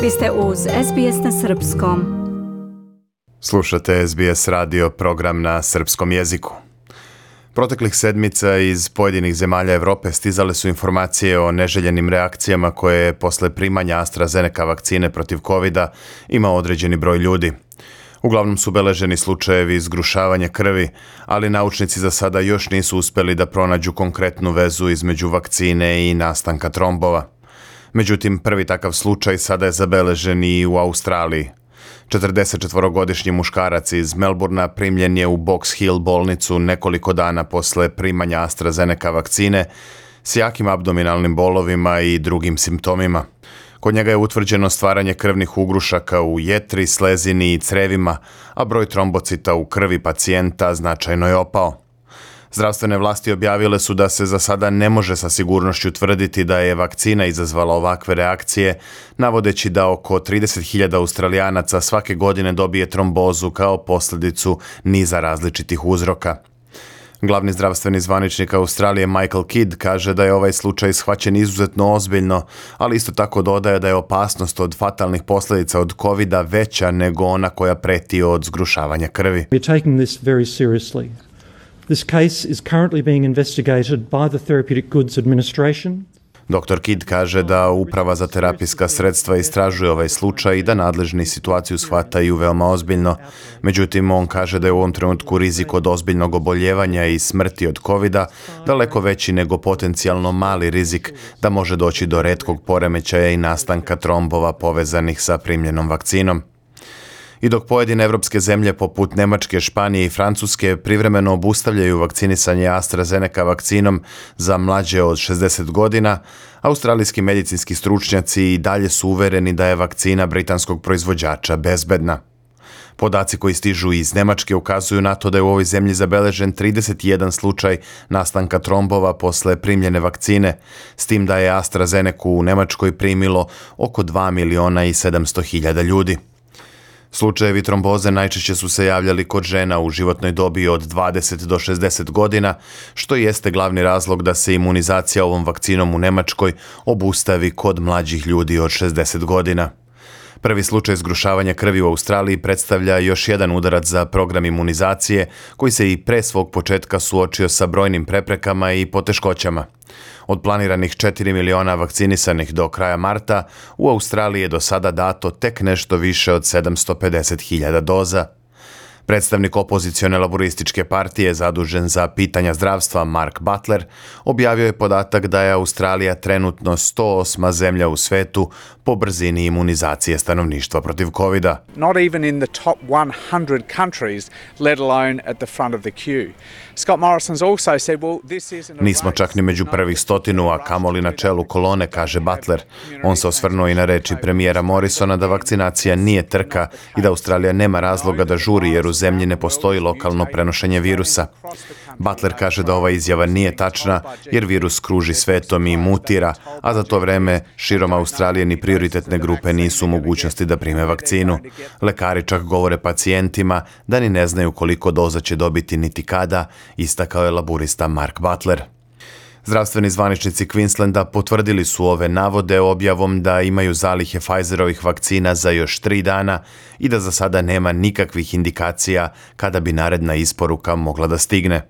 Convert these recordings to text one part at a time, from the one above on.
Vi ste uz SBS na srpskom. Slušate SBS radio, program na srpskom jeziku. Proteklih sedmica iz pojedinih zemalja Evrope stizale su informacije o neželjenim reakcijama koje je posle primanja AstraZeneca vakcine protiv COVID-a imao određeni broj ljudi. Uglavnom su beleženi slučajevi zgrušavanja krvi, ali naučnici za sada još nisu uspeli da pronađu konkretnu vezu između vakcine i nastanka trombova. Međutim, prvi takav slučaj sada je zabeležen i u Australiji. 44-godišnji muškarac iz Melbourna primljen je u Box Hill bolnicu nekoliko dana posle primanja AstraZeneca vakcine s jakim abdominalnim bolovima i drugim simptomima. Kod njega je utvrđeno stvaranje krvnih ugrušaka u jetri, slezini i crevima, a broj trombocita u krvi pacijenta značajno je opao. Zdravstvene vlasti objavile su da se za sada ne može sa sigurnošću tvrditi da je vakcina izazvala ovakve reakcije, navodeći da oko 30.000 Australijanaca svake godine dobije trombozu kao posljedicu niza različitih uzroka. Glavni zdravstveni zvaničnik Australije Michael Kidd kaže da je ovaj slučaj shvaćen izuzetno ozbiljno, ali isto tako dodaje da je opasnost od fatalnih posljedica od COVID-a veća nego ona koja preti od zgrušavanja krvi. We're taking this very seriously. This case is currently being investigated by the Therapeutic Goods Administration. Dr. Kidd kaže da Uprava za terapijska sredstva istražuje ovaj slučaj i da nadležni situaciju shvataju veoma ozbiljno. Međutim, on kaže da je u ovom trenutku rizik od ozbiljnog oboljevanja i smrti od COVID-a daleko veći nego potencijalno mali rizik da može doći do retkog poremećaja i nastanka trombova povezanih sa primljenom vakcinom. I dok pojedine evropske zemlje poput Nemačke, Španije i Francuske privremeno obustavljaju vakcinisanje AstraZeneca vakcinom za mlađe od 60 godina, australijski medicinski stručnjaci i dalje su uvereni da je vakcina britanskog proizvođača bezbedna. Podaci koji stižu iz Nemačke ukazuju na to da je u ovoj zemlji zabeležen 31 slučaj nastanka trombova posle primljene vakcine, s tim da je AstraZeneca u Nemačkoj primilo oko 2.700.000 ljudi. Slučajevi tromboze najčešće su se javljali kod žena u životnoj dobi od 20 do 60 godina, što jeste glavni razlog da se imunizacija ovom vakcinom u Nemačkoj obustavi kod mlađih ljudi od 60 godina. Prvi slučaj zgrušavanja krvi u Australiji predstavlja još jedan udarac za program imunizacije koji se i pre svog početka suočio sa brojnim preprekama i poteškoćama. Od planiranih 4 miliona vakcinisanih do kraja marta, u Australiji je do sada dato tek nešto više od 750.000 doza. Predstavnik opozicione laborističke partije zadužen za pitanja zdravstva Mark Butler objavio je podatak da je Australija trenutno 108. zemlja u svetu po brzini imunizacije stanovništva protiv COVID-a. Not even in the top 100 countries, let alone at the front of the queue. Scott Morrison's also said, well, this isn't a Nismo čak ni među prvih 100, a kamoli na čelu kolone, kaže Butler. On se osvrnuo i na reči premijera Morrisona da vakcinacija nije trka i da Australija nema razloga da žuri jer u zemlji ne postoji lokalno prenošenje virusa. Butler kaže da ova izjava nije tačna jer virus kruži svetom i mutira, a za to vreme širom Australije ni prioritetne grupe nisu u mogućnosti da prime vakcinu. Lekari čak govore pacijentima da ni ne znaju koliko doza će dobiti niti kada, istakao je laburista Mark Butler. Zdravstveni zvaničnici Queenslanda potvrdili su ove navode objavom da imaju zalihe Pfizerovih vakcina za još 3 dana i da za sada nema nikakvih indikacija kada bi naredna isporuka mogla da stigne.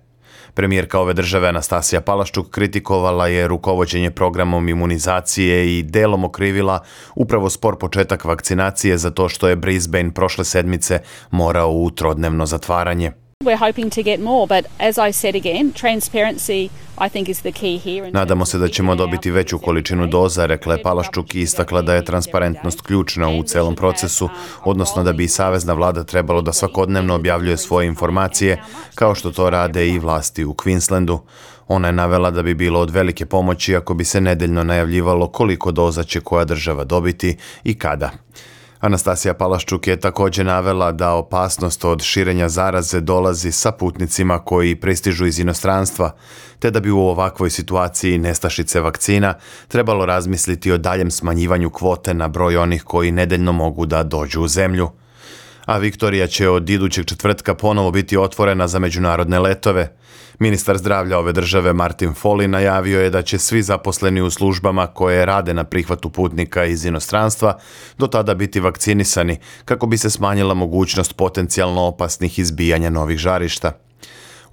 Premijerka ove države Anastasija Palaščuk kritikovala je rukovođenje programom imunizacije i delom okrivila upravo spor početak vakcinacije za to što je Brisbane prošle sedmice morao u trodnevno zatvaranje. We're hoping to get more, but as I said again, transparency I think is the key here. Nadamo se da ćemo dobiti veću količinu doza, rekla je Palaščuk i istakla da je transparentnost ključna u celom procesu, odnosno da bi i savezna vlada trebalo da svakodnevno objavljuje svoje informacije, kao što to rade i vlasti u Queenslandu. Ona je navela da bi bilo od velike pomoći ako bi se nedeljno najavljivalo koliko doza će koja država dobiti i kada. Anastasija Palaščuk je također navela da opasnost od širenja zaraze dolazi sa putnicima koji pristižu iz inostranstva, te da bi u ovakvoj situaciji nestašice vakcina trebalo razmisliti o daljem smanjivanju kvote na broj onih koji nedeljno mogu da dođu u zemlju. A Viktorija će od idućeg četvrtka ponovo biti otvorena za međunarodne letove. Ministar zdravlja ove države Martin Foley najavio je da će svi zaposleni u službama koje rade na prihvatu putnika iz inostranstva do tada biti vakcinisani kako bi se smanjila mogućnost potencijalno opasnih izbijanja novih žarišta.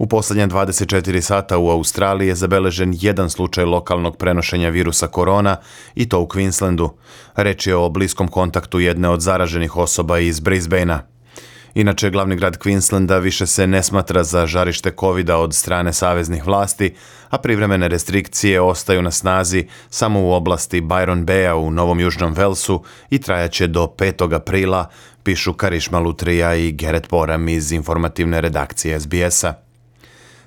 U posljednje 24 sata u Australiji je zabeležen jedan slučaj lokalnog prenošenja virusa korona i to u Queenslandu. Reč je o bliskom kontaktu jedne od zaraženih osoba iz Brisbanea. Inače, glavni grad Queenslanda više se ne smatra za žarište covida od strane saveznih vlasti, a privremene restrikcije ostaju na snazi samo u oblasti Byron Baya u Novom Južnom Velsu i trajaće do 5. aprila, pišu Karišma Lutrija i Gerrit Boram iz informativne redakcije SBS-a.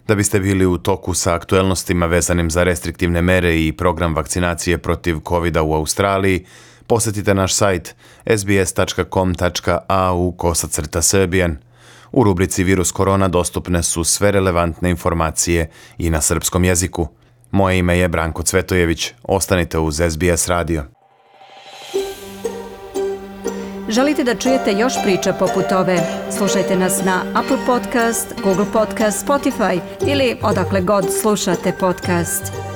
Da biste bili u toku sa aktuelnostima vezanim za restriktivne mere i program vakcinacije protiv covida u Australiji, posjetite naš sajt sbs.com.au/serbian. U rubrici Virus korona dostupne su sve relevantne informacije i na srpskom jeziku. Moje ime je Branko Cvetojević. Ostanite uz SBS radio. Želite da čujete još priča poput ove? Slušajte nas na Apple Podcast, Google Podcast, Spotify ili odakle god slušate podcast.